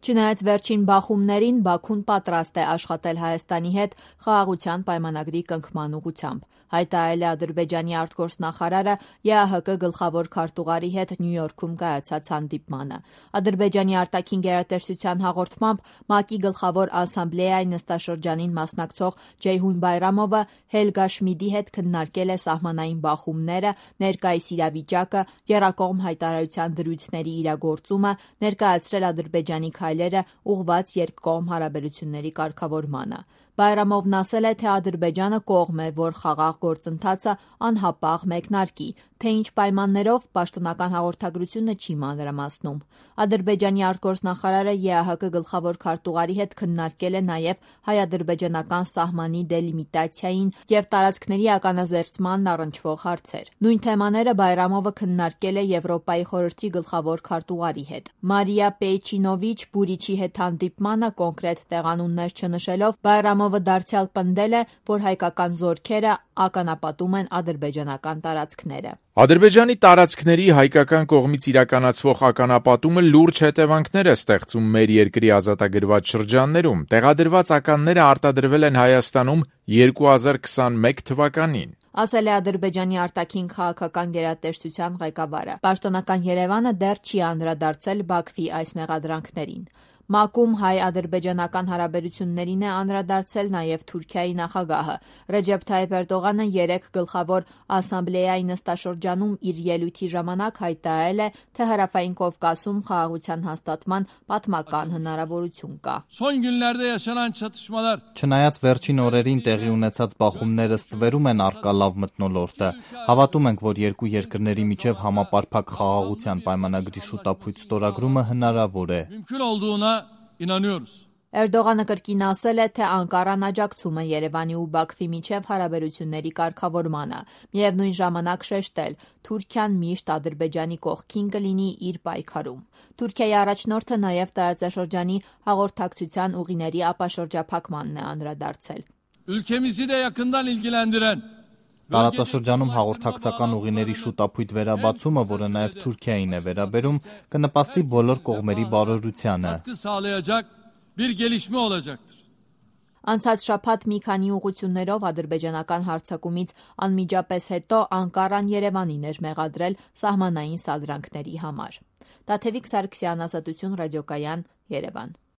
Չնայած վերջին բախումներին Բաքուն պատրաստ է աշխատել Հայաստանի հետ խաղաղության պայմանագրի կնքման ուղղությամբ, հայտարարել է Ադրբեջանի արտգործնախարարը ԵԱՀԿ գլխավոր քարտուղարի հետ Նյու Յորքում կայացած հանդիպմանը։ Ադրբեջանի արտաքին գերատեսչության հաղորդմամբ ՄԱԿ-ի գլխավոր ասամբլեայի նստաշրջանին մասնակցող Ջեյհուն Բայրամովը Հելգա Շմիդի հետ քննարկել է սահմանային բախումները, ներկայիս իրավիճակը, եռակողմ հայտարարության դրույթների իրագործումը, ներկայացրել Ադրբեջանի քայլերը ուղղված երկկողմ հարաբերությունների կարգավորմանը։ Բայրամովն ասել է, թե Ադրբեջանը կողմ է, որ խաղաղ գործընթացը անհապաղ մեկնարկի, թե ինչ պայմաններով պաշտոնական հաղորդագրությունը չի մանրամասնում։ Ադրբեջանի արտգործնախարարը ԵԱՀԿ գլխավոր քարտուղարի հետ քննարկել է նաև հայ-ադրբեջանական սահմանի դելիմիտացիային և տարածքների ականազերծմանն առնչվող հարցեր։ Նույն թեմաները Բայրամովը քննարկել է Եվրոպայի խորհրդի գլխավոր քարտուղարի հետ։ Մարիա Պեյչինովիչ Բուրիչի հետ հանդիպմանը կոնկրետ տեղանուններ չնշելով Բայրամովը դարձյալ պնդել է, որ հայկական զորքերը ականապատում են ադրբեջանական տարածքները։ Ադրբեջանի տարածքների հայկական կողմից իրականացվող ականապատումը լուրջ հետևանքներ է ստեղծում մեր երկրի ազատագրված շրջաններում։ Տեղադրված ականները արտադրվել են Հայաստանում 2021 թվականին։ Ասել է Ադրբեջանի արտաքին քաղաքական գերատեսչության ղեկավարը։ Պաշտոնական Երևանը դեռ չի անդրադարձել Բաքվի այս մեղադրանքներին։ ՄԱԿ-ում հայ-ադրբեջանական հարաբերություններին է անդրադարձել նաև Թուրքիայի նախագահը։ Ռեջեփ Թայիփ Էրդողանը երեկ գլխավոր ասամբլեայի նստաշրջանում իր ելույթի ժամանակ հայտարարել է, թե Հարավային Կովկասում խաղաղության հաստատման պատմական հնարավորություն կա։ Չնայած վերջին օրերին տեղի ունեցած բախումները ստվերում են առկա լավ մթնոլորտը, հավատում ենք, որ երկու երկրների միջև համապարփակ խաղաղության պայմանագրի շուտապույտ ստորագրումը հնարավոր է։ Էրդողանը կրկին ասել է, թե Անկարան աջակցում է Երևանի ու Բաքվի միջև հարաբերությունների կարգավորմանը, միևնույն ժամանակ շեշտել՝ Թուրքիան միշտ Ադրբեջանի կողքին կլինի իր պայքարում։ Թուրքիայի առաջնորդը նաև տարածաշրջանի հաղորդակցության ուղիների ապաշրջափակմանն է անդրադարձել։ Տարածաշրջանում հաղորդակցական ուղիների շուտապույտ վերաբացումը, որը նաև Թուրքիային է վերաբերում, կնպաստի բոլոր կողմերի բարօրությանը։ Անցած շաբաթ մի քանի ուղղություններով ադրբեջանական հարձակումից անմիջապես հետո Անկարան Երևանին էր մեղադրել սահմանային սադրանքների համար։ Տաթևիկ Սարգսյան, Ազատություն ռադիոկայան, Երևան։